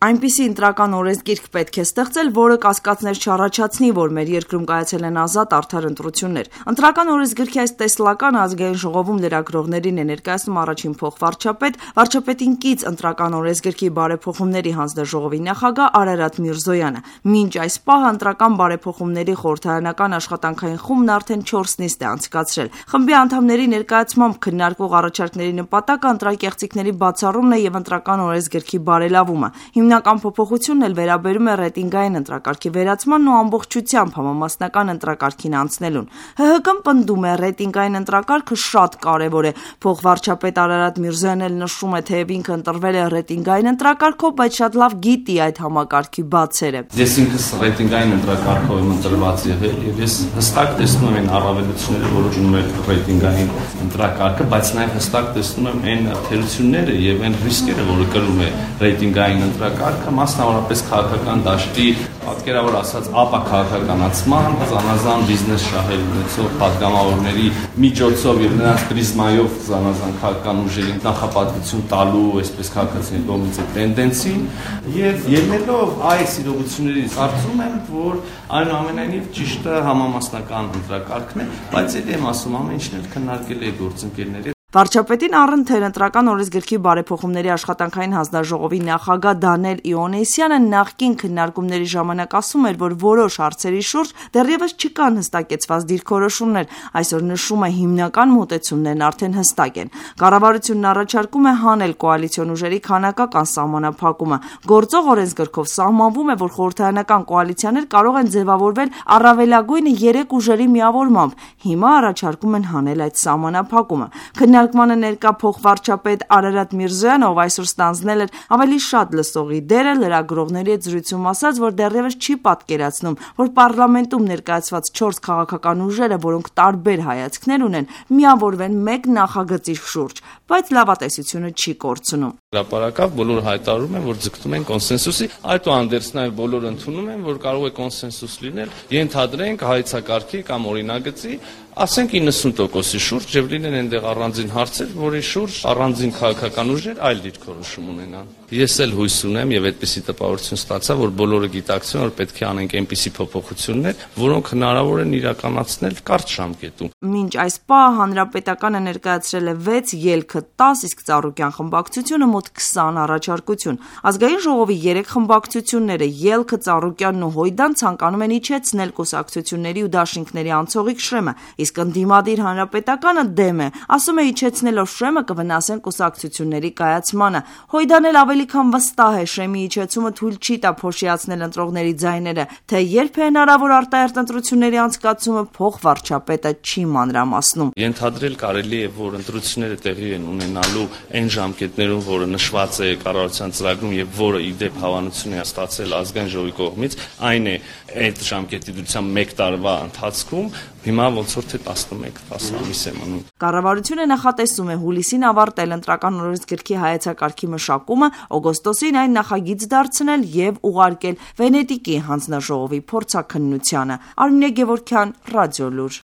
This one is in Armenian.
Այնպիսի ընտրական օրենսգիրք պետք է ստեղծել, որը կասկածներ չառաջացնի, որ մեր երկրում կայացել են ազատ արդար ընտրություններ։ Ընտրական օրենսգրքի այս տեսլական ազգային ժողովում լրագրողներին է ներկայացնում առաջին փոխվարչապետ, վարչապետին կից ընտրական օրենսգրքի բարեփոխումների հանձնաժողովի նախագահ Արարատ Միրզոյանը։ Մինչ այս պահը ընտրական բարեփոխումների խորհրդարանական աշխատանքային խումբն արդեն 4 նիստ է անցկացրել։ Խմբի անդամների ներկայացմամբ քննարկվող առաջարկների նպատակը ընտրակեղծիքների բացառումն է եւ ընտրական օրենսգրքի բարելավումը։ Հիմնական փոփոխությունն էլ վերաբերում է ռեյտինգային ընտրակարգի վերացմանն ու ամբողջությամբ համամասնական ընտրակարգին անցնելուն։ ՀՀԿ-ն պնդում է ռեյտինգային ընտրակարգը շատ կարևոր է։ Փոխվարչապետ Արարատ Միրզոյանն էլ նշում է, թեև ինքը ընտրվել է ռեյտինգային ընտրակարգով, բայց շատ լավ գիտի այդ համակարգի բացերը։ Ես ինքս ռեյտինգային ընտրակարգով եմ ընտրված եղել եւ ես հստակ տեսնում եմ այն առավելությունները, որոնք ուներ ռեյտինգային ընտրակարգը, բայց նաեւ հստակ տեսնում եմ այն թերությունները եւ այն ռիսկերը, որը կրում է ռեյտինգային ընտրակարգը, մասնավորապես քաղաքական դաշտի, պատկերավոր ասած, ապաքաղաքականացման, զանազան բիզնես շահեր ունեցող պատգամավորների միջոցով եւ նրանց պրիզմայով զանազան քաղաքական ուժերին նախապատվություն տալու, այսպես քաղաքացիների կողմից տենդենսին եւ ելնելով այս իրողություններից կարծում եմ, որ այնուամենայնիվ ճիշտը համամասնական ընտրակարգն է, բայց ելի եմ ասում, ամեն ինչն էլ քննարկել է գործընկերների։ Վարչապետին առընթեր ընտրական օրենսգրքի բարեփոխումների աշխատանքային հանձնաժողովի նախագահ Դանիել Իոնեսյանը նախկին քննարկումների ժամանակ ասում էր, որ որոշ հարցերի շուրջ դեռևս չկան հստակեցված դիրքորոշումներ, այսօր նշում է հիմնական մոտեցումներն արդեն հստակ են։ Կառավարությունն առաջարկում է հանել կոալիցիոն ուժերի քանակական սահմանափակումը։ Գործող օրենսգրքով սահմանվում է, որ խորհրդարանական կոալիցիաներ կարող են ձևավորվել առավելագույնը 3 ուժերի միավորմամբ։ Հիմա առաջարկում են հանել այդ սահմանափակումը։ Քննարկմանը ներկա փոխվարչապետ Արարատ Միրզոյանը, ով այսօր ստանձնել էր ավելի շատ լսողի դերը, լրագրողների հետ զրույցում ասաց, որ դեռևս չի պատկերացնում, որ պարլամենտում ներկայացված 4 քաղաքական ուժերը, որոնք տարբեր հայացքներ ունեն, միավորվեն մեկ նախագծի շուրջ, բայց լավատեսությունը չի կորցնում։ Հրապարակավ բոլորը հայտարարում են, որ ձգտում են կոնսենսուսի, այդուհանդերձ նաև բոլորը ընդունում են, որ կարող է կոնսենսուս լինել, ենթադրենք հայեցակարգի կամ օրինագծի, ասենք 90%-ի շուրջ եւ լինեն այնտեղ առանձին հարցեր, որի շուրջ առանձին քաղաքական ուժեր այլ դիրքորոշում ունենան։ Ես էլ հույս ունեմ եւ այդպիսի տպավորություն ստացա, որ բոլորը գիտակցեն, որ պետք է անենք այնպիսի փոփոխություններ, որոնք հնարավոր են իրականացնել կարճ ժամկետում։ Մինչ այս պահը հանրապետականը ներկայացրել է 6, ելքը 10, իսկ Ծառուկյան խմբակցությունը մոտ 20 առաջարկություն։ Ազգային ժողովի 3 խմբակցությունները՝ ելքը, Ծառուկյանն ու Հույդան ցանկանում են իջեցնել կուսակցությունների ու դաշինքների անցողիկ շրեմը, իսկ ընդդիմադիր հանրապետականը դեմ է, ասում է իջեցնելով շրեմը կվնասեն կուսակցությունների կայացմանը։ Հույդան էլ ավելի քան վստահ է, շրեմի իջեցումը թույլ չի տա փոշիացնել ընտրողների ձայները, թե երբ է հնարավոր արտահերթ ընտրությունների անցկացումը, փոխվարչապետը չի մանրամասնում։ Ենթադրել կարելի է, որ ընտրությունները տեղի են ունենալու այն ժամկետներում, որը նշված է կառավարության ծրագրում եւ որը ի դեպ հավանություն է ստացել ազգային ժողովի կողմից, այն է այդ ժամկետի դրությամբ 1 տարվա ընթացքում, հիմա ոնց որ թե 11-10 ամիս է մնում։ Կառավարությունը նախատեսում է հուլիսին ավարտել ընտրական օրենսգրքի հայեցակարգի մշակումը, օգոստոսին այն նախագիծ դարձնել եւ ուղարկել Վենետիկի հանձնաժողովի փորձաքննությանը։ Արմինե Գևորգյան, Ռադիոլուր։